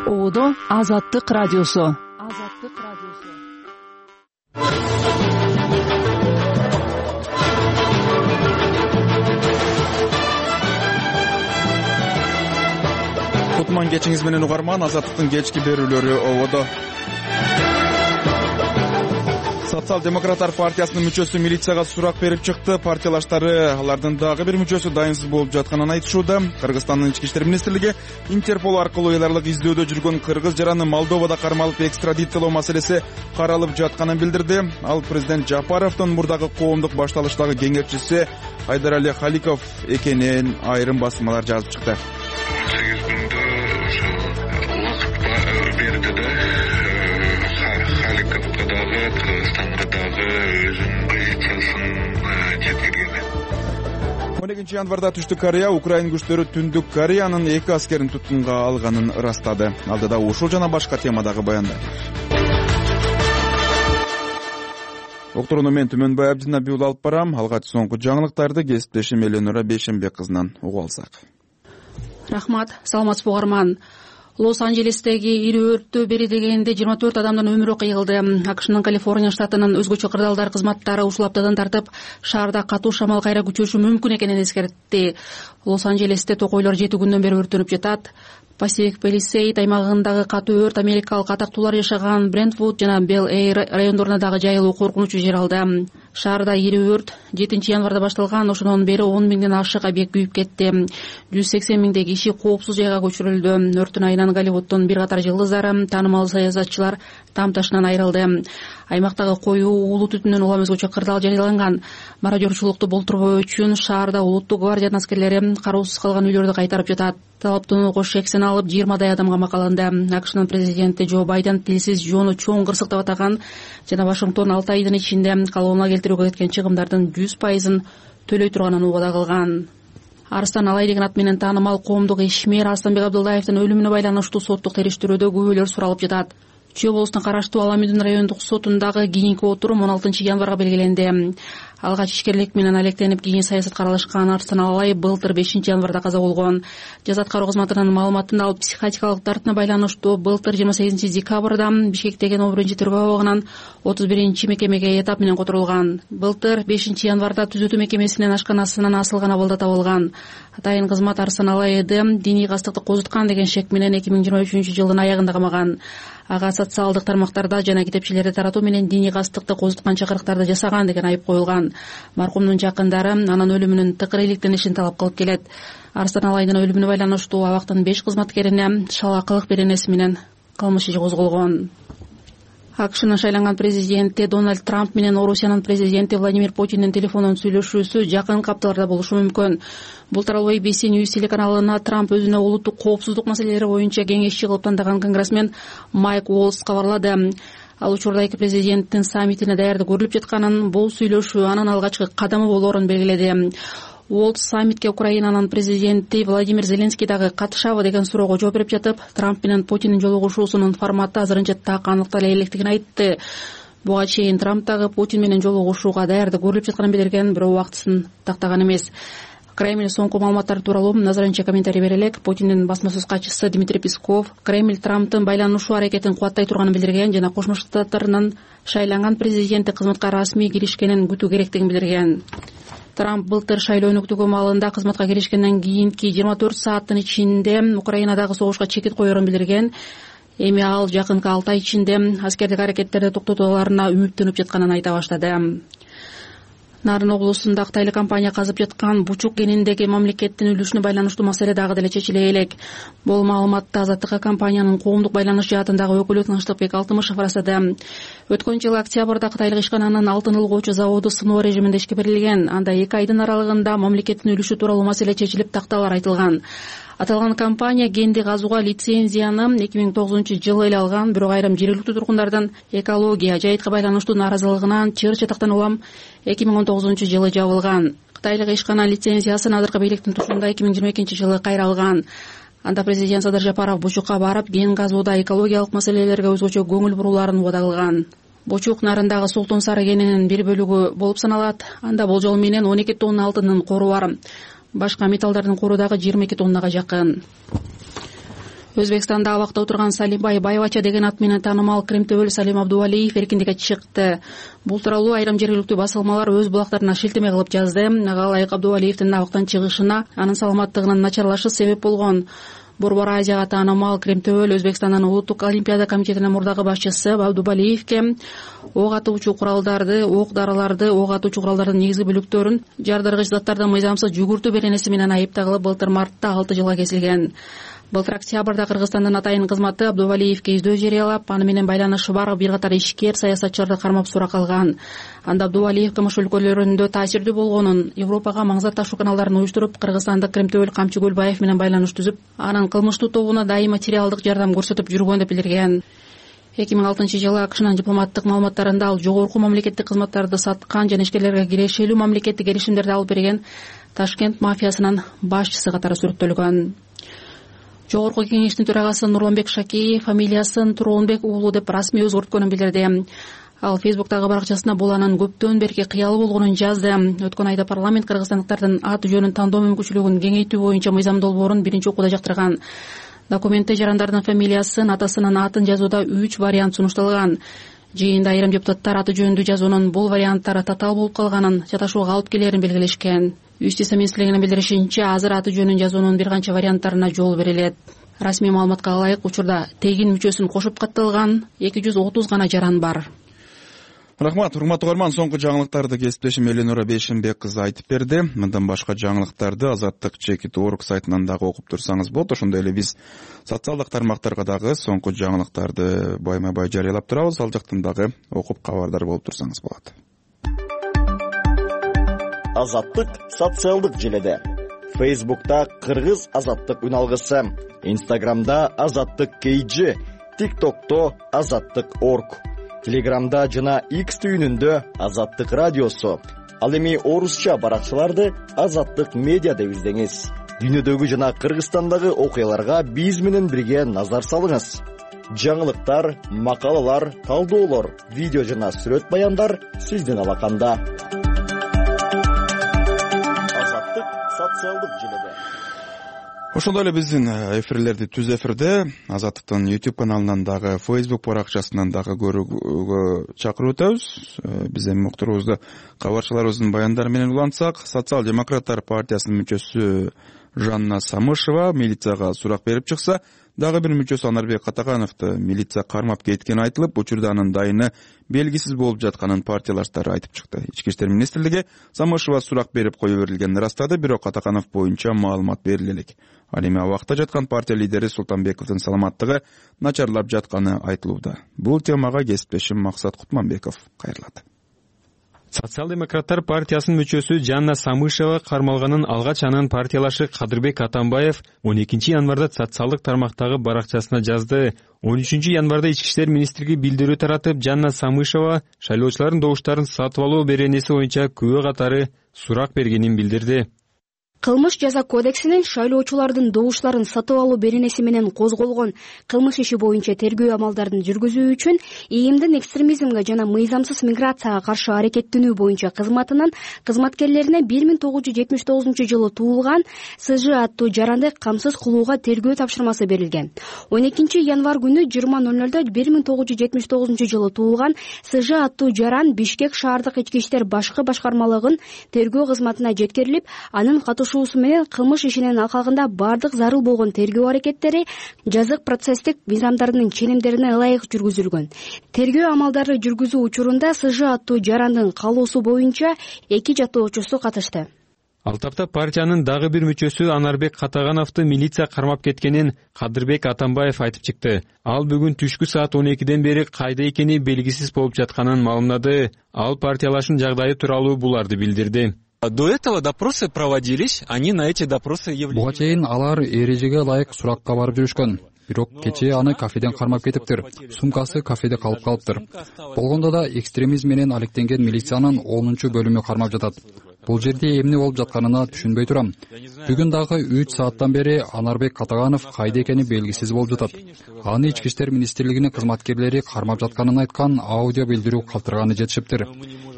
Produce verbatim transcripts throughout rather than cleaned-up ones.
Оодо Азаттык радиосу. Азаттык радиосу. Кутман кечиңиз менен угарман. Азаттыктын кечки берүүлөрү ободо. Социал-демократтар партиясынын мүчөсү милицияга сурак берип чыкты. Партиялаштары алардын дагы бир мүчөсү дайынсыз болуп жатканын айтышууда. Кыргызстандын ички иштер министрлиги Интерпол аркылуу эл аралык издөөдө жүргөн кыргыз жараны Молдовада кармалып экстрадициялоо маселеси каралып жатканын билдирди. Ал президент Жапаровдун мурдагы коомдук башталыштагы кеңешчиси Айдарали Халиков экенин айрым басмалар жазып чыкты. сегиз күндө ошо убакыт берди да Халиковго дагы Кыргызстанга дагы өзүнүн позициясын жеткирген. он экинчи январда Түштүк Корея Украин күчтөрү Түндүк Кореянын эки аскерин туткунга алганын ырастады. Алдыда ушул жана башка темадагы баяндар. Доктуруну мен Түмөнбай Абдинабиул алып барам. Алгач соңку жаңылыктарды кесиптешим Эленора Бейшенбек кызынан угуп алсак. Рахмат, саламатсызбы угарман. Лос-Анджелестеги ири өрттө бери дегенде жыйырма төрт адамдын өмүрү кыйылды. АКШнын Калифорния штатынын өзгөчө кырдаалдар кызматтары ушул аптадан тартып шаарда катуу шамал кайра күчөшү мүмкүн экенин эскертти. Лос-Анджелесте токойлор жети күндөн бери өрттөнүп жатат. Пасифик Палисейд аймагындагы катуу өрт америкалык атактуулар жашаган Брентвуд жана Бел-Эйр райондоруна дагы жайылуу коркунучу жер алды. Шаарда ири өрт жетинчи январда башталган, ошондон бери он миңден ашык объект күйүп кетти. жүз сексен миңдей киши коопсуз жайга көчүрүлдү. Өрттүн айынан Голливуддун бир катар жылдыздары, таанымал саясатчылар там ташынан айрылды. Аймактагы коюу уулуу түтүндөн улам өзгөчө кырдаал жарыяланган. Мародёрчулукту болтурбоо үчүн шаарда улуттук гвардиянын аскерлери кароосуз калган үйлөрдү кайтарып жатат. Талаптууну кош шексен алып жыйырмадай адамга макаланды. АКШнын президенти Джо Байден тилсиз жоону чоң кырсык деп атаган жана Вашингтон алты айдын ичинде калыбына келтирүүгө кеткен чыгымдардын жүз пайызын төлөй турганын убада кылган. Арыстан Алай деген ат менен таанымал коомдук ишмер Арстанбек Абдылдаевдин өлүмүнө байланыштуу соттук териштирүүдө күбөлөр суралып жатат. Чүй облусуна караштуу Аламүдүн райондук сотундагы кийинки отурум он алтынчы январга белгиленди. Алгач ишкерлик менен алектенип кийин саясатка аралашкан Арыстан Алай былтыр бешинчи январда каза болгон. Жаза аткаруу кызматынын маалыматында ал психотикалык дартына байланыштуу былтыр жыйырма сегизинчи декабрда Бишкектеги номер биринчи тергөө абагынан отуз биринчи мекемеге этап менен которулган. Былтыр бешинчи январда түзөтүү мекемесинин ашканасынан асылган абалда табылган. Атайын кызмат Арыстан Алайды диний кастыкты козуткан деген шек менен эки миң жыйырма үчүнчү жылдын аягында камаган. Ага социалдык тармактарда жана китепчелерди таратуу менен диний кастыкты козуткан чакырыктарды жасаган деген айып коюлган. Маркумдун жакындары анын өлүмүнүн тыкыр иликтенишин талап кылып келет. Арыстан Алайдын өлүмүнө байланыштуу абактын беш кызматкерине шалакылык беренеси менен кылмыш иши козголгон. АКШнын шайланган президенти Дональд Трамп менен Орусиянын президенти Владимир Путиндин телефондон сүйлөшүүсү жакынкы апталарда болушу мүмкүн. Бул тууралуу A B C News телеканалына Трамп өзүнө улуттук коопсуздук маселелери боюнча кеңешчи кылып тандаган конгрессмен Майк Уолс кабарлады. Ал учурда эки президенттин саммитине даярдык көрүлүп жатканын, бул сүйлөшүү анын алгачкы кадамы болоорун белгиледи. Уолт саммитке Украинанын президенти Владимир Зеленский дагы катышабы деген суроого жооп берип жатып, Трамп менен Путиндин жолугушуусунун форматы азырынча так аныктала электигин айтты. Буга чейин Трамп дагы Путин менен жолугушууга даярдык көрүлүп жатканын билдирген, бирок убактысын тактаган эмес. Кремль соңку маалыматтар тууралуу азырынча комментарий бере элек. Путиндин басма сөз катчысы Дмитрий Песков Кремль Трамптын байланышуу аракетин кубаттай турганын билдирген жана Кошмо Штаттарынын шайланган президенти кызматка расмий киришкенин күтүү керектигин билдирген. Трамп былтыр шайлоо өнүктүгү маалында кызматка киришкенден кийинки жыйырма төрт сааттын ичинде Украинадагы согушка чекит коерун билдирген. Эми ал жакынкы алты ай ичинде аскердик аракеттерди токтотууларына үмүттөнүп жатканын айта баштады. Нарын облусунда кытайлык компания казып жаткан Бучук кениндеги мамлекеттин үлүшүнө байланыштуу маселе дагы деле чечиле элек. Бул маалыматты Азаттыкка компаниянын коомдук байланыш жаатындагы өкүлү Тынчтыкбек Алтымышев ырастады. Өткөн жылы октябрда кытайлык ишкананын алтын ылгоочу заводу сыноо режиминде ишке берилген. Анда эки айдын аралыгында мамлекеттин үлүшү тууралуу маселе чечилип, такталар айтылган. Аталган компания кенди казууга лицензияны эки миң тогузунчу жылы эле алган, бирок айрым жергиликтүү тургундардын экология, жайытка байланыштуу нааразылыгынан чыр чатактан улам эки миң он тогузунчу жылы жабылган. Кытайлык ишкана лицензиясын азыркы бийликтин тушунда эки миң жыйырма экинчи жылы кайра алган. Анда президент Садыр Жапаров Бучукка барып, кен казууда экологиялык маселелерге өзгөчө көңүл бурууларын убада кылган. Бучук нарындагы Султан Сары кенинин бир бөлүгү болуп саналат. Анда болжол менен он эки тонна алтындын кору бар. Башка металлдардын кору дагы жыйырма эки тоннага жакын. Өзбекстанда абакта отурган Салимбай Байбача деген ат менен таанымал Кремтөбөл Салим Абдувалиев эркиндикке чыкты. Бул тууралуу айрым жергиликтүү басылмалар өз булактарына шилтеме кылып жазды. Ага ылайык Абдувалиевдин абактан чыгышына анын саламаттыгынын начарлашы себеп болгон. Борбор Азияга таанымал Кремтөбөл Өзбекстандын улуттук олимпиада комитетинин мурдагы башчысы Абдувалиевке ок атуучу куралдарды, ок дарыларды, ок атуучу куралдардын негизги бөлүктөрүн жардыргыч заттарды мыйзамсыз жүгүртүү беренеси менен айыптагылы былтыр мартта алты жылга кесилген. Былтыр октябрда Кыргызстандын атайын кызматы Абдувалиевке издөө жарыялап, аны менен байланышы бар бир катар ишкер саясатчыларды кармап сурак алган. Анда Абдувалиев кылмыш өлкөлөрүндө таасирдүү болгонун, Европага маңзат ташуу каналдарын уюштуруп, кыргызстандык Кремтөбөл Камчы Көлбаев менен байланыш түзүп, анын кылмыштуу тобуна дайым материалдык жардам көрсөтүп жүргөн деп билдирген. эки миң алтынчы жылы АКШнын дипломаттык маалыматтарында ал жогорку мамлекеттик кызматтарды саткан жана ишкерлерге кирешелүү мамлекеттик келишимдерди алып берген Ташкент мафиясынын башчысы катары сүрөттөлгөн. Жогорку кеңештин төрагасы Нурланбек Шакеев фамилиясын Туронбек уулу деп расмий өзгөрткөнүн билдирди. Ал Фейсбуктагы баракчасына бул анын көптөн берки кыялы болгонун жазды. Өткөн айда парламент кыргызстандыктардын ат жөнүн тандоо мүмкүнчүлүгүн кеңейтүү боюнча мыйзам долбоорун биринчи окууда жактырган. Документте жарандардын фамилиясын, атасынын атын жазууда үч вариант сунушталган. Жыйында айрым депутаттар аты жөнүндө жазуунун бул варианттары татаал болуп калганын, чаташууга алып келерин белгилешкен. Юстиция министрлигинин билдиришинче, азыр аты жөнүн жазуунун бир канча варианттарына жол берилет. Расмий маалыматка ылайык учурда тегин мүчөсүн кошуп катталган эки жүз отуз гана жаран бар. Рахмат, урматтуу угарман, соңку жаңылыктарды кесиптешим Эленора Бейшенбек кызы айтып берди. Мындан башка жаңылыктарды Азаттык чекит точка орг сайтынан дагы окуп турсаңыз болот. Ошондой эле биз социалдык тармактарга дагы соңку жаңылыктарды байма-бай жарыялап турабыз. Ал жактан дагы окуп кабардар болуп турсаңыз болот. Азаттык социалдык желеде. Фейсбукта Кыргыз Азаттык үн алгысы, Инстаграмда Азаттык кей джи, ТикТокто Азаттык точка орг, Телеграмда жана X түйүнүндө Азаттык радиосу. Ал эми орусча баракчаларды Азаттык медиа деп издеңиз. Дүйнөдөгү жана Кыргызстандагы окуяларга биз менен бирге назар салыңыз. Жаңылыктар, макалалар, талдоолор, видео жана сүрөт баяндар сиздин алаканда. Азаттык социалдык желеде. Ошондой эле биздин эфирлерди түз эфирде Азаттыктын YouTube каналынан дагы, Facebook баракчасынан дагы көрүүгө чакырып өтөбүз. Биз эми уктуруубузду кабарчыларыбыздын баяндары менен улантсак, Социал-демократтар партиясынын мүчөсү Жанна Самышева милицияга сурак берип чыкса, дагы бир мүчөсү Анарбек Катагановду милиция кармап кеткени айтылып, учурда анын дайыны белгисиз болуп жатканын партиялаштары айтып чыкты. Ички иштер министрлиги Самышева сурак берип кое берилгенин ырастады, бирок Катаганов боюнча маалымат бериле элек. Ал эми абакта жаткан партия лидери Султанбековдун саламаттыгы начарлап жатканы айтылууда. Бул темага кесиптешим Максат Кутманбеков кайрылат. Социал-демократтар партиясынын мүчөсү Жанна Самышева кармалганын алгач анын партиялашы Кадырбек Атамбаев он экинчи январда социалдык тармактагы баракчасына жазды. он үчүнчү январда ички иштер министрлиги билдирүү таратып, Жанна Самышева шайлоочулардын добуштарын сатып алуу беренеси боюнча күбө катары сурак бергенин билдирди. Кылмыш жаза кодексинин шайлоочулардын добуштарын сатып алуу беренеси менен козголгон кылмыш иши боюнча тергөө амалдарын жүргүзүү үчүн ИИМдин экстремизмге жана мыйзамсыз миграцияга каршы аракеттенүү боюнча кызматынын кызматкерлерине бир миң тогуз жүз жетимиш тогузунчу жылы туулган СЖ аттуу жаранды камсыз кылууга тергөө тапшырмасы берилген. он экинчи январь күнү жыйырма ноль нольдо бир миң тогуз жүз жетимиш тогузунчу жылы туулган СЖ аттуу жаран Бишкек шаардык ички иштер башкы башкармалыгынын тергөө кызматына жеткирилип, анын катышуусу менен кылмыш ишинин алкагында бардык зарыл болгон тергөө аракеттери жазык процесстик мыйзамдарынын ченемдерине ылайык жүргүзүлгөн. Тергөө амалдары жүргүзүү учурунда СЖ аттуу жарандын каалоосу боюнча эки жаттоочусу катышты. Ал тапта партиянын дагы бир мүчөсү Анарбек Катагановду милиция кармап кеткенин Кадырбек Атамбаев айтып чыкты. Ал бүгүн түшкү саат он экиден бери кайда экени белгисиз болуп жатканын маалымдады. Ал партиялашын жагдайы тууралуу буларды билдирди. До этого допросы проводились, они на эти допросы являлись. Буга чейин алар эрежеге ылайык суракка барып жүрүшкөн. Бирок кечээ аны кафеден кармап кетиптир. Сумкасы кафеде калып калыптыр. Болгондо да экстремизм менен алектенген милициянын онунчу бөлүмү кармап жатат. Бул жерде эмне болуп жатканына түшүнбөй турам. Бүгүн дагы үч сааттан бери Анарбек Катаганов кайда экени белгисиз болуп жатат. Аны ички иштер министрлигинин кызматкерлери кармап жатканын айткан аудио билдирүү калтырганы жетишиптир.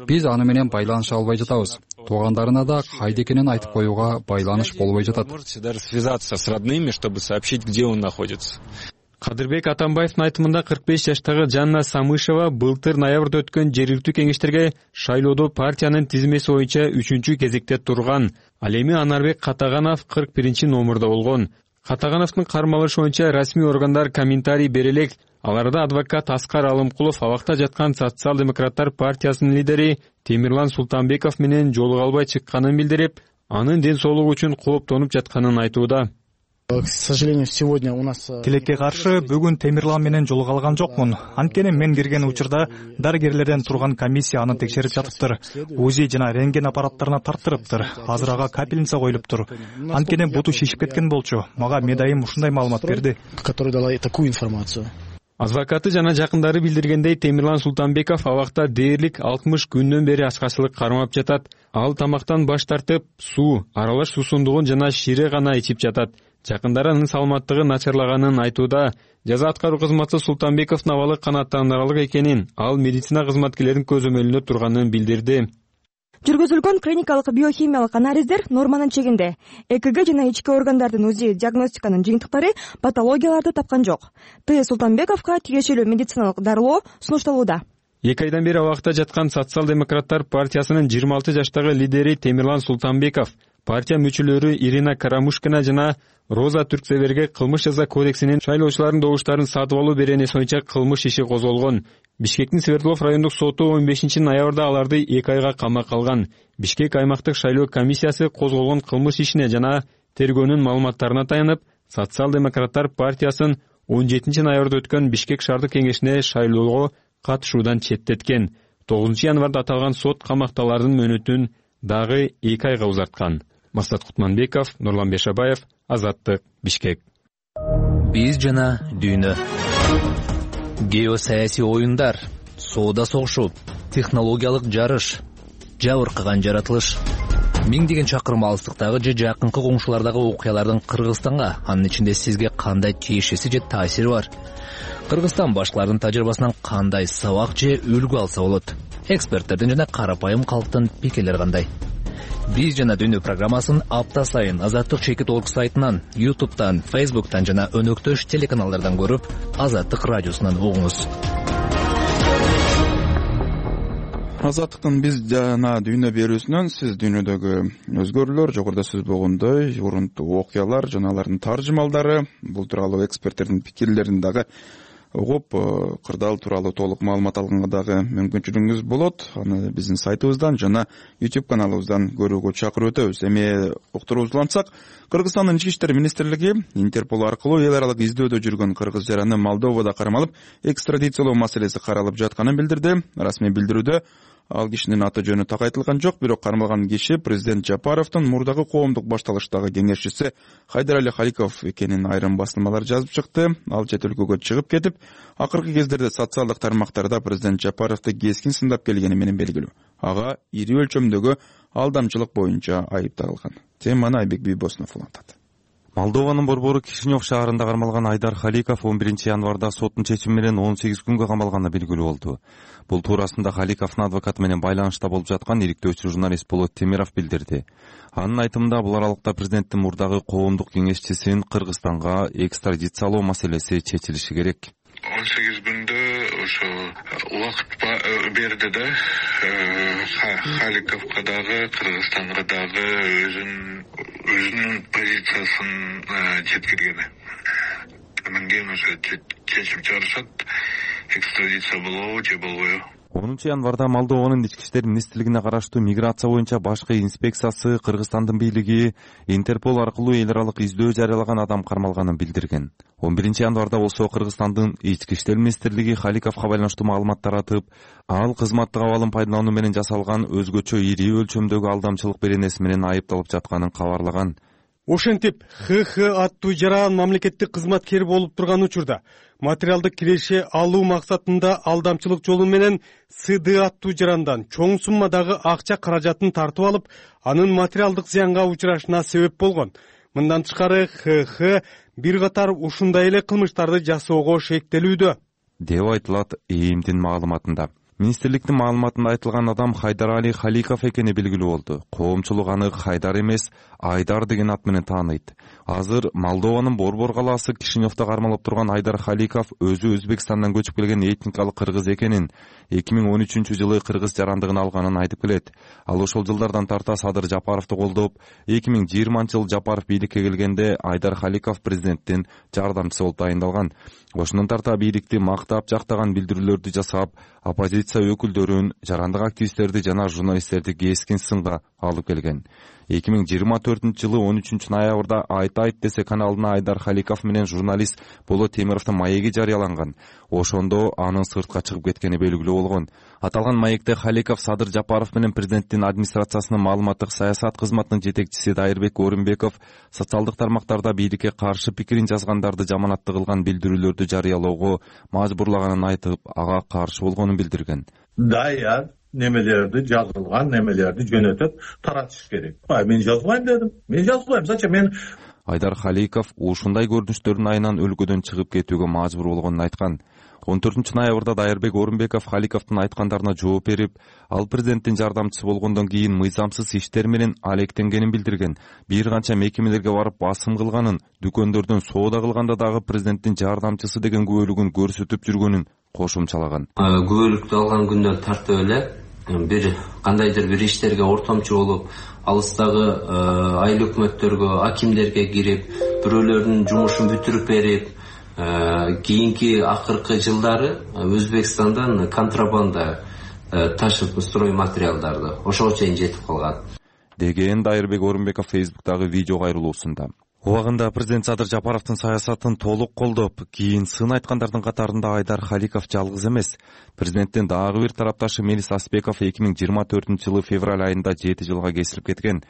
Биз аны менен байланыша албай жатабыз. туугандарына да кайда экенин айтып коюуга байланыш болбой жатат. Можете даже связаться с родными, чтобы сообщить, где он находится. Кадырбек Атамбаевдин айтымында кырк беш жаштагы Жанна Самышева былтыр ноябрда өткөн жергиликтүү кеңештерге шайлоодо партиянын тизмеси боюнча үчүнчү кезекте турган. Ал эми Анарбек Катаганов кырк биринчи номурда болгон. Катагановдун кармалышы боюнча расмий органдар комментарий бере элек. Аларда адвокат Аскар Алымкулов абакта жаткан Социал-демократтар партиясынын лидери Темирлан Султанбеков менен жолуга албай чыкканын билдирип, анын ден соолугу үчүн кооптонуп жатканын айтууда. К сожалению, сегодня у нас... Тилекке каршы бүгүн Темирлан менен жолуга алган жокмун. Анткени мен кирген учурда дарыгерлерден турган комиссия аны текшерип жатыптыр. УЗИ жана рентген аппараттарына тарттырыптыр. Азыр ага капельница коюлуптур. Анткени буту шишип кеткен болчу. Мага медайым ушундай маалымат берди. Который дала такую информацию. Адвокаты жана жакындары билдиргендей, Темирлан Султанбеков абакта дээрлик алтымыш күндөн бери ачкачылык кармап жатат. Ал тамактан баш тартып, суу, аралаш суусундугун жана шире гана ичип жатат. Жакындары анын саламаттыгы начарлаганын айтууда. Жаза аткаруу кызматы Султанбековдун абалы канааттандырарлык экенин, ал медицина кызматкерлеринин көзөмөлүндө турганын билдирди. Жүргүзүлгөн клиникалык биохимиялык анализдер норманын чегинде. ЭКГ жана ички органдардын УЗИ диагностиканын жыйынтыктары патологияларды тапкан жок. Т. Султанбековго тиешелүү медициналык дарылоо сунушталууда. Эки айдан бери абакта жаткан Социал-демократтар партиясынын жыйырма алты жаштагы лидери Темирлан Султанбеков партия мүчөлөрү Ирина Карамушкина жана Роза Түрксеберге кылмыш жаза кодексинин шайлоочулардын добуштарын сатып алуу беренеси боюнча кылмыш иши козголгон. Бишкектин Свердлов райондук соту он бешинчи ноябрда аларды эки айга камакка алган. Бишкек аймактык шайлоо комиссиясы козголгон кылмыш ишине жана тергөөнүн маалыматтарына таянып, Социал-демократтар партиясын он жетинчи ноябрда өткөн Бишкек шаардык кеңешине шайлоого катышуудан четтеткен. тогузунчу январда аталган сот камакталардын мөөнөтүн дагы эки айга узарткан. Максат Кутманбеков, Нурлан Бешабаев, Азаттык, Бишкек. Биз жана дүйнө. Геосаясий оюндар, соода согушу, технологиялык жарыш, жабыркаган жаратылыш. Миңдеген чакырым алыстыктагы же жакынкы коңшулардагы окуялардын Кыргызстанга, анын ичинде сизге кандай тиешеси же таасири бар? Кыргызстан башкалардын тажрыйбасынан кандай сабак же үлгү алса болот? Эксперттердин жана карапайым калктын пикирлери кандай? Биз жана дүйнө программасын апта сайын Азаттык чекит точка орг сайтынан, ютубтан, фейсбуктан жана өнөктөш телеканалдардан көрүп, Азаттык радиосунан угуңуз. Азаттыктын биз жана дүйнө берүүсүнөн сиз дүйнөдөгү өзгөрүүлөр, жогоруда сөз болгондой, урунтуу окуялар жана алардын таржымалдары, бул тууралуу эксперттердин пикирлерин дагы угуп, кырдаал тууралуу толук маалымат алганга дагы мүмкүнчүлүгүңүз болот. Аны биздин сайтыбыздан жана YouTube каналыбыздан көрүүгө чакырып өтөбүз. Эми уктуруубузду улантсак, Кыргызстандын ички иштер министрлиги Интерпол аркылуу эл аралык издөөдө жүргөн кыргыз жараны Молдовада кармалып, экстрадициялоо маселеси каралып жатканын билдирди. Расмий билдирүүдө ал кишинин аты жөнү так айтылган жок, бирок кармалган киши президент Жапаровдун мурдагы коомдук башталыштагы кеңешчиси Хайдарали Халиков экенин айрым басылмалар жазып чыкты. Ал чет өлкөгө чыгып кетип, акыркы кездерде социалдык тармактарда президент Жапаровду кескин сындап келгени менен белгилүү. Ага ири өлчөмдөгү алдамчылык боюнча айыпталган. Теманы Айбек Бийбосунов улантат. Молдованын борбору Кишинев шаарында кармалган Айдар Халиков он биринчи январда соттун чечими менен он сегиз күнгө камалганы белгилүү болду. Бул туурасында Халиковдун адвокаты менен байланышта болуп жаткан иликтөөчү журналист Болот Темиров билдирди. Анын айтымында бул аралыкта президенттин мурдагы коомдук кеңешчисин Кыргызстанга экстрадициялоо маселеси чечилиши керек. он сегиз күндө ошо убакыт берди да, Халиковго дагы, Кыргызстанга дагы өзүнүн өзүнүн позициясын жеткиргени. Анан кийин ошо чечим чыгарышат, экстрадиция болобу же болбойбу. онунчу январда Молдованын ички иштер министрлигине караштуу миграция боюнча башкы инспекциясы Кыргызстандын бийлиги Интерпол аркылуу эл аралык издөө жарыялаган адам кармалганын билдирген. он биринчи январда болсо Кыргызстандын ички иштер министрлиги Халиковго байланыштуу маалыматтар атып, ал кызматтык абалын пайдалануу менен жасалган өзгөчө ири өлчөмдөгү алдамчылык беренеси менен айыпталып жатканын кабарлаган. Ошентип ХХ аттуу жаран мамлекеттик кызматкер болуп турган учурда материалдык киреше алуу максатында алдамчылык жолу менен СД аттуу жарандан чоң суммадагы акча каражатын тартып алып, анын материалдык зыянга учурашына себеп болгон. Мындан тышкары ХХ бир катар ушундай эле кылмыштарды жасоого шектелүүдө, деп айтылат ЭИМдин маалыматында. Министрликтин маалыматында айтылган адам Хайдарали Халиков экени белгилүү болду. Коомчулук аны Хайдар эмес, Айдар деген ат менен тааныйт. Азыр Молдованын Борбор калаасы Кишиневдо кармалып турган Айдар Халиков өзү Өзбекстандан көчүп келген этникалык кыргыз экенин, эки миң он үчүнчү жылы кыргыз жарандыгын алганын айтып келет. Ал ошол жылдардан тарта Садыр Жапаровду колдоп, эки миң жыйырманчы жылы Жапаров бийликке келгенде Айдар Халиков президенттин жардамчысы болуп дайындалган. Ошондон тарта бийликти мактап, жактаган билдирүүлөрдү жасап, оппозиция өкүлдөрүн, жарандык активисттерди жана журналисттерди кескин сынга алып келген. эки миң жыйырма төртүнчү жылы он үчүнчү ноябрда Айт Айт десе каналына Айдар Халиков менен журналист Болот Темировдун маеги жарыяланган. Ошондо анын сыртка чыгып кеткени белгилүү болгон. Аталган маекте Халиков Садыр Жапаров менен президенттин администрациясынын маалыматтык саясат кызматынын жетекчиси Дайырбек Орунбеков социалдык тармактарда бийликке каршы пикирин жазгандарды жаманаттуу кылган билдирүүлөрдү жарыялоого мажбурлаганын айтып, ага каршы болгонун билдирген. Даяр немелерди, жазылган немелерди жөнөтүп таратыш керек. Мен жазбайм дедим. Мен жазбайм. Зачем мен? Айдар Халиков ушундай көрүнүштөрдүн айынан өлкөдөн чыгып кетүүгө мажбур болгонун айткан. он төртүнчү ноябрда Дайырбек Орунбеков Халиковдун айткандарына жооп берип, ал президенттин жардамчысы болгондон кийин мыйзамсыз иштер менен алектенгенин билдирген. Бир канча мекемелерге барып басым кылганын, дүкөндөрдөн соода кылганда дагы президенттин жардамчысы деген күбөлүгүн көрсөтүп жүргөнүн кошумчалаган. Күбөлүктү алган күндөн тартып эле бир кандайдыр бир иштерге ортомчу болуп, алыстагы айыл өкмөттөргө, акимдерге кирип, бирөөлөрдүн жумушун бүтүрүп берип, кийинки акыркы жылдары Өзбекстандан контрабанда ташып строй материалдарды ошого чейин жетип калган деген Дайырбек Орунбеков Фейсбуктагы видео кайрылуусунда. Убагында президент Садыр Жапаровдун саясатын толук колдоп, кийин сын айткандардын катарында Айдар Халиков жалгыз эмес. Президенттин дагы бир тарапташы Мелис Аспеков эки миң жыйырма төртүнчү жылы февраль айында жети жылга кесилип кеткен.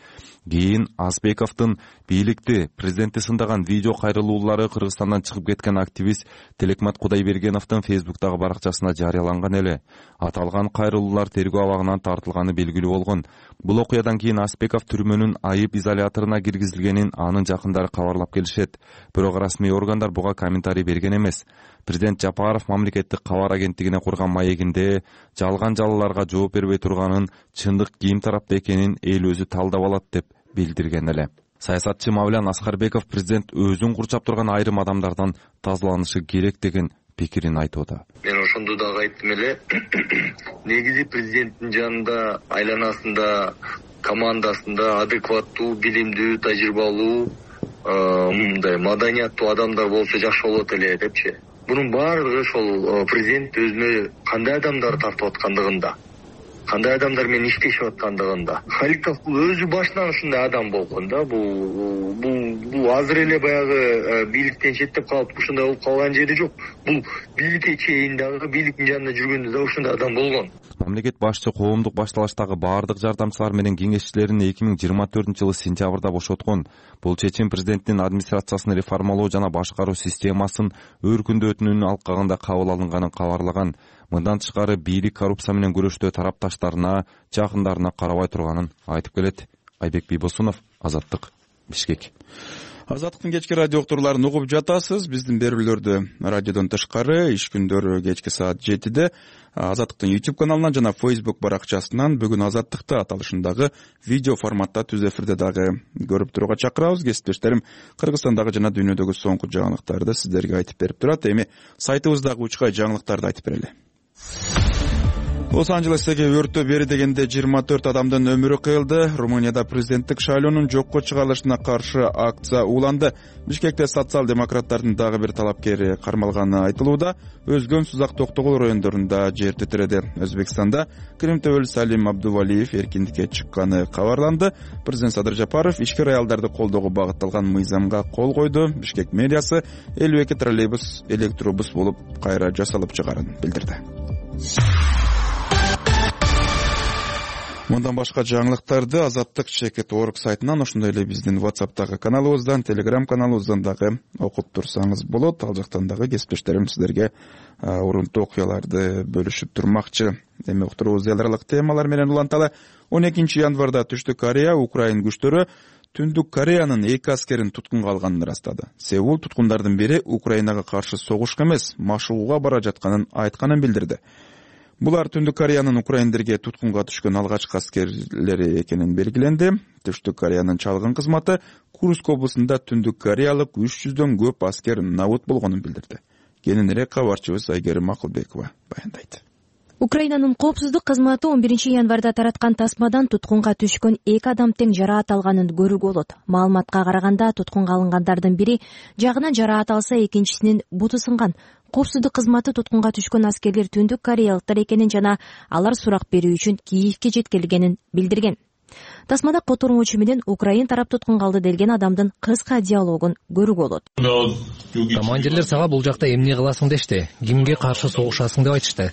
Кийин Аспековдун бийликти, президентти сындаган видео кайрылуулары Кыргызстандан чыгып кеткен активист Телекмат Кудайбергеновдун Фейсбуктагы баракчасына жарыяланган эле. Аталган кайрылуулар тергөө абагынан тартылганы белгилүү болгон. Бул окуядан кийин Аспеков түрмөнүн айып изоляторуна киргизилгенин анын жакындары кабарлап келишет. Бирок расмий органдар буга комментарий берген эмес. Президент Жапаров мамлекеттик кабар агенттигине курган маегинде жалган жалаларга жооп бербей турганын, чындык ким тарапта экенин эл өзү талдап алат деп билдирген эле. Саясатчы Мавлян Аскарбеков президент өзүн курчап турган айрым адамдардан тазаланышы керек деген пикирин айтууда. Мен ошондо дагы айттым эле. Негизи президенттин жанында, айланасында, командасында адекваттуу, билимдүү, тажрыйбалуу, мындай маданияттуу адамдар болсо жакшы болот эле депчи. Бунун баардыгы ошол президент өзүнө кандай адамдар тартып аткандыгында, кандай адамдар менен иштешип аткандыгында. Халиков бул өзү башынан ушундай адам болгон да. Бул бул бул азыр эле баягы бийликтен четтеп калып ушундай болуп калган жери жок. Бул бийликке чейин дагы, бийликтин жанында жүргөндө да ушундай адам болгон. Мамлекет башчы коомдук башталыштагы баардык жардамчылар менен кеңешчилерин эки миң жыйырма төртүнчү жылы сентябрда бошоткон. Бул чечим президенттин администрациясын реформалоо жана башкаруу системасын өркүндөтүүнүн алкагында кабыл алынганын кабарлаган. Мындан тышкары бийлик коррупция менен күрөштө тарапташтарына, жакындарына карабай турганын айтып келет. Айбек Бийбосунов, Азаттык, Бишкек. Азаттыктын кечки радио уктурууларын угуп жатасыз. Биздин берүүлөрдү радиодон тышкары иш күндөрү кечки саат жетиде Азаттыктын YouTube каналынан жана Facebook баракчасынан бүгүн Азаттыкты аталышындагы видео форматта түз эфирде дагы көрүп турууга чакырабыз. Кесиптештерим Кыргызстандагы жана дүйнөдөгү соңку жаңылыктарды сиздерге айтып берип турат. Эми сайтыбыздагы учкай жаңылыктарды айтып берели. Лос-Анджелестеги өрттө бери дегенде жыйырма төрт адамдын өмүрү кыйылды. Румынияда президенттик шайлоонун жокко чыгарылышына каршы акция уланды. Бишкекте социал-демократтардын дагы бир талапкери кармалганы айтылууда. Өзгөн Сузак Токтогул райондорунда жер титиреди. Өзбекстанда Крим төбөлү Салим Абдувалиев эркиндикке чыкканы кабарланды. Президент Садыр Жапаров ишкер аялдарды колдоого багытталган мыйзамга кол койду. Бишкек мэриясы элүү эки троллейбус электробус болуп кайра жасалып чыгарын билдирди. Мындан башка жаңылыктарды Азаттык чекет точка орг сайтынан, ошондой эле биздин WhatsApp'тагы каналыбыздан, Telegram каналыбыздан дагы окуп турсаңыз болот. Ал жактан дагы кесиптештерим сиздерге урунтуу окуяларды бөлүшүп турмакчы. Эми уктуруубуз эл аралык темалар менен уланталы. он экинчи январда Түштүк Корея Украин күчтөрү Түндүк Кореянын эки аскерин туткунга алганын ырастады. Сеул туткундардын бири Украинага каршы согушка эмес, машыгууга бара жатканын айтканын билдирди. Булар Түндүк Кореянын украиндерге туткунга түшкөн алгачкы аскерлери экенин белгиленди. Түштүк Кореянын чалгын кызматы Курск облусунда Түндүк Кореялык үч жүздөн көп аскер набыт болгонун билдирди. Кененирээк кабарчыбыз Айгерим Акылбекова баяндайт. Украинанын коопсуздук кызматы он биринчи январда тараткан тасмадан туткунга түшкөн эки адам тең жараат алганын көрүүгө болот. Маалыматка караганда туткунга алынгандардын бири жагынан жараат алса, экинчисинин буту сынган. Коопсуздук кызматы туткунга түшкөн аскерлер Түндүк Кореялыктар экенин жана алар сурак берүү үчүн Киевке жеткирилгенин билдирген. Тасмада котормочу менен Украин тарап туткунга алды делген адамдын кыска диалогун көрүүгө болот. Командирлер сага бул жакта эмне кыласың дешти, кимге каршы согушасың деп айтышты.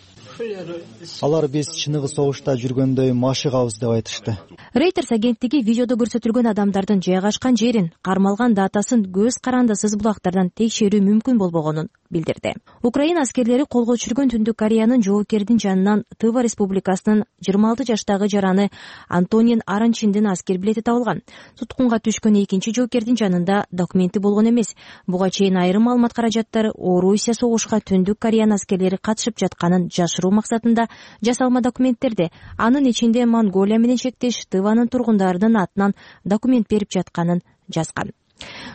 Алар биз чыныгы согушта жүргөндөй машыгабыз деп айтышты. Reuters агенттиги видеодо көрсөтүлгөн адамдардын жайгашкан жерин, кармалган датасын көз карандысыз булактардан текшерүү мүмкүн болбогонун билдирди. Украин аскерлери колго түшүргөн Түндүк Кореянын жоокердин жанынан Тыва республикасынын жыйырма алты жаштагы жараны Антонин Аранчиндин аскер билети табылган. Туткунга түшкөн экинчи жоокердин жанында документи болгон эмес. Буга чейин айрым маалымат каражаттары Орусия согушка Түндүк Кореянын аскерлери катышып жатканын жашыруу максатында жасалма документтерди, анын ичинде Монголия менен чектеш Тыванын тургундарынын атынан документ берип жатканын жазган.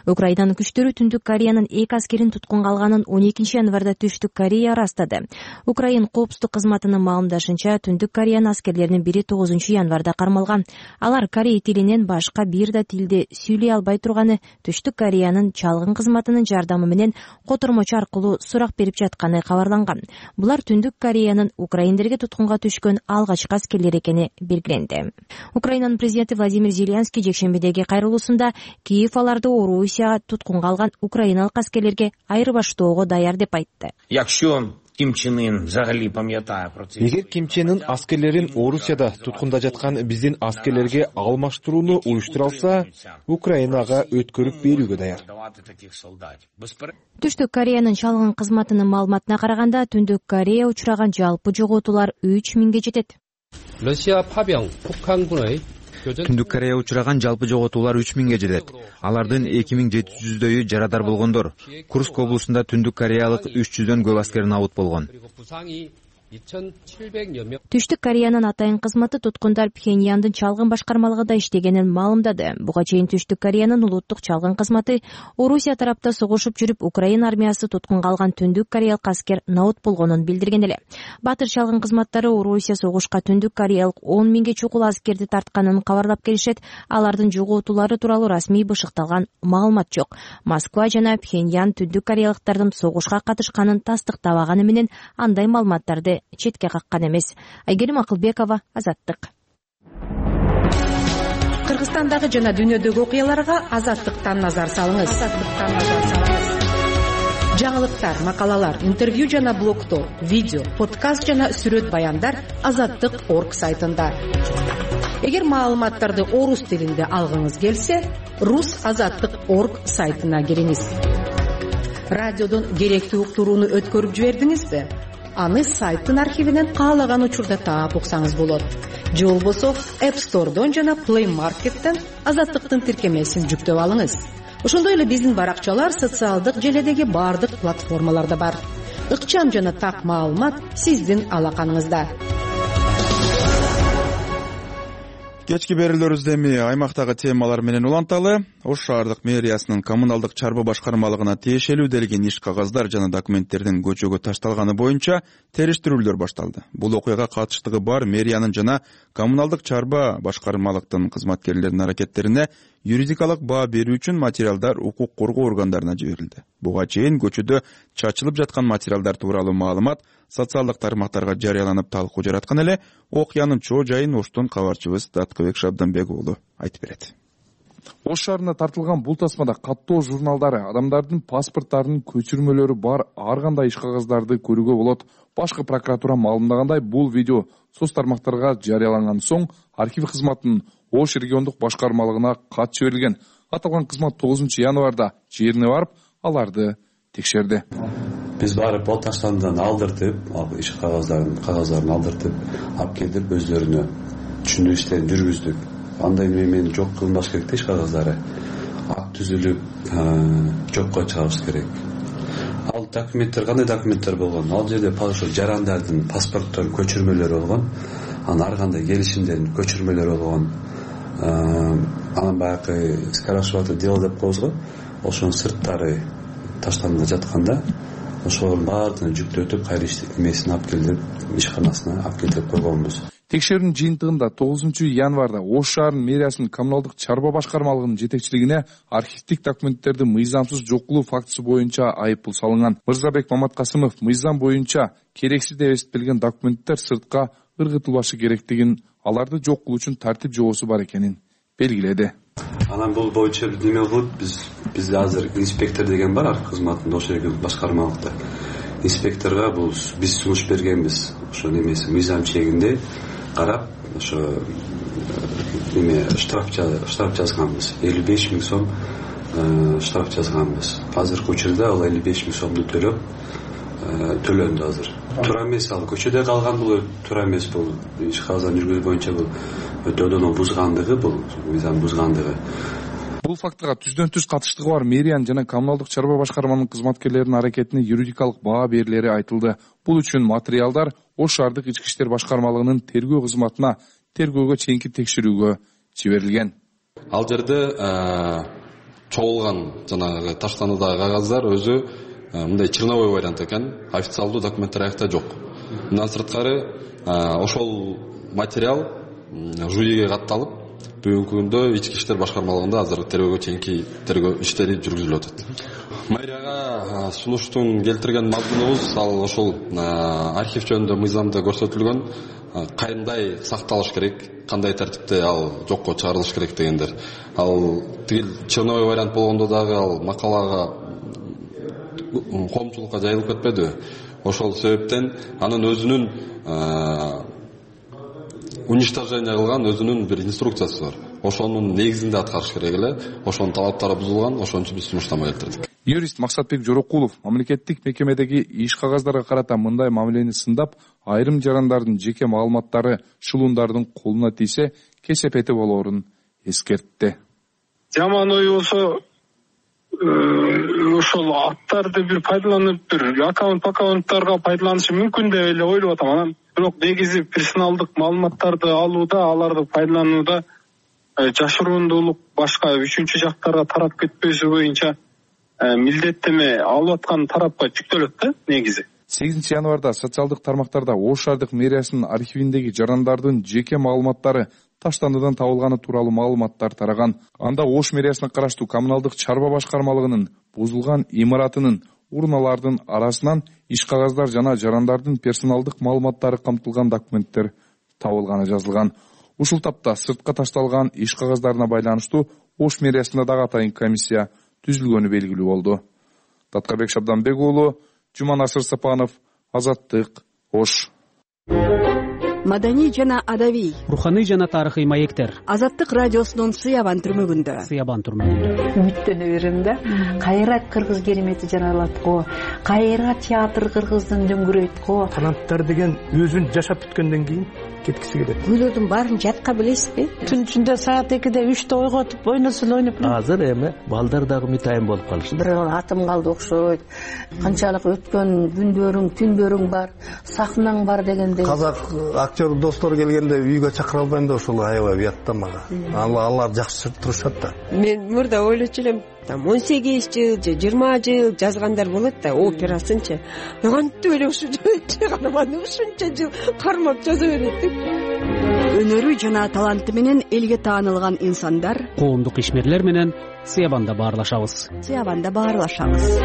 Украинанын күчтөрү Түндүк Кореянын эки аскерин туткунга алганын он экинчи январда Түштүк Корея ырастады. Украин коопсуздук кызматынын маалымдашынча, Түндүк Кореянын аскерлеринин бири тогузунчу январда кармалган. Алар корей тилинен башка бир да тилде сүйлөй албай турганы Түштүк Кореянын чалгын кызматынын жардамы менен котормочу аркылуу сурак берип жатканы кабарланган. Булар Түндүк Кореянын украиндерге туткунга түшкөн алгачкы аскерлер экени белгиленди. Украинанын президенти Владимир Зеленский жекшембидеги кайрылуусунда Киев аларды Орусия туткунга алган украиналык аскерлерге айырбаштоого даяр деп айтты. Эгер Ким Чен Ын аскерлерин Орусияда туткунда жаткан биздин аскерлерге алмаштырууну уюштура алса, Украинага өткөрүп берүүгө даяр. Түштүк Кореянын чалгын кызматынын маалыматына караганда, Түндүк Корея учураган жалпы жоготуулар үч миңге жетет. Түндүк Корея учураган жалпы жоготуулар үч миңге жетет. Алардын эки миң жети жүздөйү жарадар болгондор. Курск облусунда Түндүк Кореялык үч жүздөн көп аскер набыт болгон. Түштүк Кореянын атайын кызматы туткундар Пхеньяндын чалгын башкармалыгында иштегенин маалымдады. Буга чейин Түштүк Кореянын улуттук чалгын кызматы Орусия тарапта согушуп жүрүп, Украин армиясы туткунга алган Түндүк Кореялык аскер набыт болгонун билдирген эле. Батыр чалгын кызматтары Орусия согушка Түндүк Кореялык он миңге чукул аскерди тартканын кабарлап келишет. Алардын жоготуулары тууралуу расмий бышыкталган маалымат жок. Москва жана Пхеньян Түндүк Кореялыктардын согушка катышканын тастыктабаганы менен андай маалыматтарды четке каккан эмес. Айгерим Акылбекова, Азаттык. Кыргызстандагы жана дүйнөдөгү окуяларга Азаттыктан назар салыңыз. Жаңылыктар, макалалар, интервью жана блогтор, видео, подкаст жана сүрөт баяндар азаттык точка орг сайтында. Эгер маалыматтарды орус тилинде алгыңыз келсе, рус азаттык точка орг сайтына кириңиз. Радиодон керектүү уктурууну өткөрүп жибердиңизби? Аны сайттын архивинен каалаган учурда таап уксаңыз болот. Же болбосо App Store'дон жана Play Market'тен Азаттыктын тиркемесин жүктөп алыңыз. Ошондой эле биздин баракчалар социалдык желедеги бардык платформаларда бар. Ыкчам жана так маалымат сиздин алаканыңызда. Кечки берүүлөрүбүздө эми аймактагы темалар менен уланталы. Ош шаардык мэриясынын коммуналдык чарба башкармалыгына тиешелүү делген иш кагаздар жана документтердин көчөгө ташталганы боюнча териштирүүлөр башталды. Бул окуяга катыштыгы бар мэриянын жана коммуналдык чарба башкармалыктын кызматкерлеринин аракеттерине юридикалык баа берүү үчүн материалдар укук коргоо органдарына жиберилди. Буга чейин көчөдө чачылып жаткан материалдар тууралуу маалымат социалдык тармактарга жарыяланып талкуу жараткан эле. Окуянын чоо жайын Оштон кабарчыбыз Даткыбек Шабданбек уулу айтып берет. Ош шаарына тартылган бул тасмада каттоо журналдары, адамдардын паспорттарынын көчүрмөлөрү бар ар кандай иш кагаздарды көрүүгө болот. Башкы прокуратура маалымдагандай, бул видео соц тармактарга жарыяланган соң архив кызматынын Ош региондук башкармалыгына кат жиберилген. Аталган кызмат тогузунчу январда жерине барып, аларды текшерди. Биз барып ал таштандан алдыртып, иш кагаздарын кагаздарын алдыртып, алып келип өздөрүнө түшүндүрүү иштерин жүргүздүк. Андай немен жок кылынбаш керек иш кагаздары. Ак түзүлүп, жокко чыгабыз керек. ал документтер кандай документтер болгон? Ал жерде ошо жарандардын паспортторунун көчүрмөлөрү болгон, анан ар кандай келишимдердин көчүрмөлөрү болгон. Анан баягы скорочтовое дело деп коебуз го, ошонун сырттары таштанып жатканда ошолордун баардыгын жүктөтүп кайра иштеп эмесин алып келип ишканасына алып келтирип койгонбуз. Текшерүүнүн жыйынтыгында тогузунчу январда Ош шаарынын мэриясынын коммуналдык чарба башкармалыгынын жетекчилигине архивдик документтерди мыйзамсыз жок кылуу фактысы боюнча айыппул салынган. Мырзабек Маматкасымов мыйзам боюнча керексиз деп эсептелген документтер сыртка ыргытылбашы керектигин, аларды жок кылуу үчүн тартип жобосу бар экенин белгиледи. Анан бул боюнча неме болот, биз бизде азыр инспектор деген бар архив кызматында, ошол жерге башкармалыкта. Инспекторго бул биз сунуш бергенбиз. Ошо немеси мыйзам чегинде карап, ошо неме штраф штраф жазганбыз. элүү беш миң сом штраф жазганбыз. Азыркы учурда ал элүү беш миң сомду төлөп төлөндү азыр. Туура эмес, ал көчөдө калган, бул туура эмес, бул иш кагазын жүргүзүү боюнча бул өтөдөн бузгандыгы, бул мыйзам бузгандыгы. Бул фактыга түздөн түз катыштыгы бар мэриянын жана коммуналдык чарба башкарманын кызматкерлеринин аракетине юридикалык баа берилери айтылды. Бул үчүн материалдар Ош шаардык ички иштер башкармалыгынын тергөө кызматына тергөөгө чейинки текшерүүгө жиберилген. Ал жерде чогулган жанагы таштануудагы кагаздар өзү мындай черновой вариант экен, официалдуу документтер аякта жок. Мындан сырткары ошол материал жюриге катталып, бүгүнкү күндө ички иштер башкармалыгында азыр тергөөгө чейинки тергөө иштери жүргүзүлүп атат. Мэрияга сунуштун келтирген мазмунубуз ал ошол архив жөнүндө мыйзамда көрсөтүлгөн кандай сакталыш керек, кандай тартипте ал жокко чыгарылыш керек дегендер. Ал тигил черновой вариант болгондо дагы ал макалага коомчулукка жайылып кетпеди. Ошол себептен анын өзүнүн уничтожение кылган өзүнүн бир инструкциясы бар. Ошонун негизинде аткарыш керек эле. Ошонун талаптары бузулган, ошон үчүн биз сунуштама келтирдик. Юрист Максатбек Жорокулов мамлекеттик мекемедеги иш кагаздарга карата мындай мамилени сындап, айрым жарандардын жеке маалыматтары шылуундардын колуна тийсе, кесепети болоорун эскертти. Жаман ой болсо ошол аттарды бир пайдаланып, бир аккаунт аккаунттарга пайдаланышы мүмкүн деп эле ойлоп атам. Анан бирок негизи персоналдык маалыматтарды алууда, аларды пайдаланууда жашыруундуулук башка үчүнчү жактарга тарап кетпеши боюнча милдеттеме алып аткан тарапка жүктөлөт да негизи. сегизинчи январда социалдык тармактарда Ош шаардык мэриясынын архивиндеги жарандардын жеке маалыматтары таштандыдан табылганы тууралуу маалыматтар тараган. Анда Ош мэриясына караштуу коммуналдык чарба башкармалыгынын бузулган имаратынын урналардын арасынан иш кагаздар жана жарандардын персоналдык маалыматтары камтылган документтер табылганы жазылган. Ушул тапта сыртка ташталган иш кагаздарына байланыштуу Ош мэриясында дагы атайын комиссия түзүлгөнү белгилүү болду. Таткабек Шабданбек уулу, Жуманасыр Сапанов, Азаттык, Ош. Маданий жана адабий, руханий жана тарыхый маектер. Азаттык радиосунун Сыябан түрмөгүндө. Сыябан түрмөгүндө. Үмүттөнө берем да. Кайра кыргыз керемети жаралат го. Кайра театр кыргыздын дөңгүрөйт го. Таланттар деген өзүн жашап бүткөндөн кийин кеткиси келет. Күйлөрдүн баарын жатка билесизби? Түн ичинде саат экиде үчтө ойготуп ойносун ойноп. Азыр эми балдар дагы мытайын болуп калышты. Бир атым калды окшойт. Канчалык өткөн күндөрүң, түндөрүң бар, сахнаң бар дегенде. Казак актер достор келгенде үйгө чакыра албайм да ошол аябай уятта мага. Алар жакшы турушат да. Мен мурда ойлочу элем, там он сегиз жыл же жыйырма жыл жазгандар болот да, операсынчы. Кантип эле ушу чыгарманы ушунча жыл кармап жаза берет деп. Өнөрү жана таланты менен элге таанылган инсандар коомдук ишмерлер менен Сыябанда баарлашабыз. Сыябанда баарлашабыз.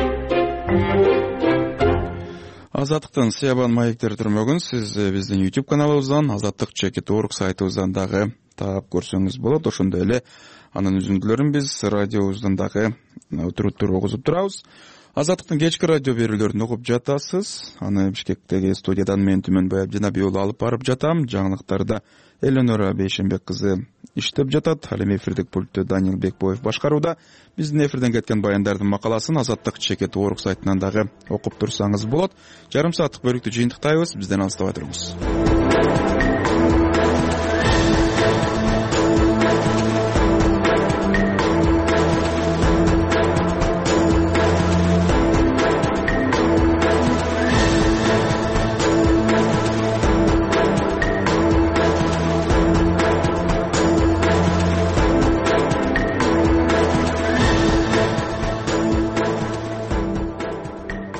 Азаттыктын Сыябан маектер түрмөгүн сиз биздин YouTube каналыбыздан, азаттык чекит точка орг сайтыбыздан дагы таап көрсөңүз болот. Ошондой эле анын үзүндүлөрүн биз радиобуздун дагы өтүрүттөр окузуп турабыз. Азаттыктын кечки радио берүүлөрүн угуп жатасыз. Аны Бишкектеги студиядан мен Түмөнбай Абдинабий уулу алып барып жатам. Жаңылыктарда Эленора Бейшенбек кызы иштеп жатат. Ал эми эфирдик пультту Данил Бекбоев башкарууда. Биздин эфирден кеткен баяндардын макаласын азаттык чекит точка орг сайтынан дагы окуп турсаңыз болот. Жарым сааттык бөлүктү жыйынтыктайбыз. Бизден алыстабай туруңуз.